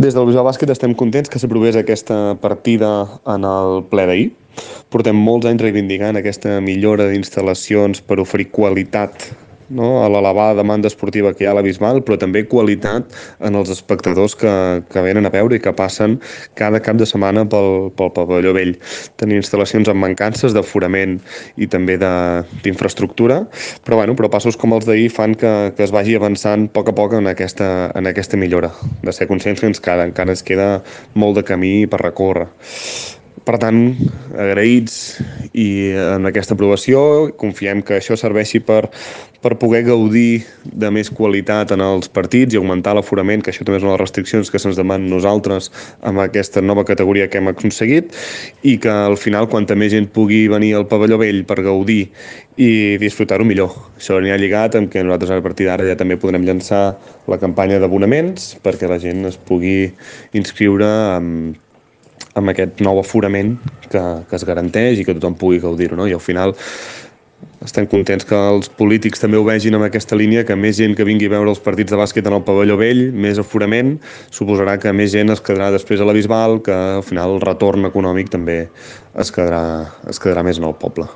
Des del Bisbal Bàsquet estem contents que s'aprovés aquesta partida en el ple d'ahir. Portem molts anys reivindicant aquesta millora d'instal·lacions per oferir qualitat, no, a l'elevada demanda esportiva que hi ha a la Bisbal, però també qualitat en els espectadors que venen a veure i que passen cada cap de setmana pel pavelló vell. Tenim instal·lacions amb mancances d'aforament i també d'infraestructura, però passos com els d'ahir fan que es vagi avançant a poc en aquesta millora, de ser conscients que encara ens queda molt de camí per recórrer. Per tant, agraïts i en aquesta aprovació, confiem que això serveixi per poder gaudir de més qualitat en els partits i augmentar l'aforament, que això també és una de les restriccions que se'ns demanen nosaltres amb aquesta nova categoria que hem aconseguit, i que al final, quanta més gent pugui venir al pavelló vell per gaudir i disfrutar-ho millor. Això anirà lligat amb que nosaltres a partir d'ara ja també podrem llançar la campanya d'abonaments perquè la gent es pugui inscriure amb aquest nou aforament que es garanteix i que tothom pugui gaudir-ho, no? I al final estem contents que els polítics també ho vegin amb aquesta línia, que més gent que vingui a veure els partits de bàsquet en el pavelló vell, més aforament, suposarà que més gent es quedarà després a la Bisbal, que al final el retorn econòmic també es quedarà més en el poble.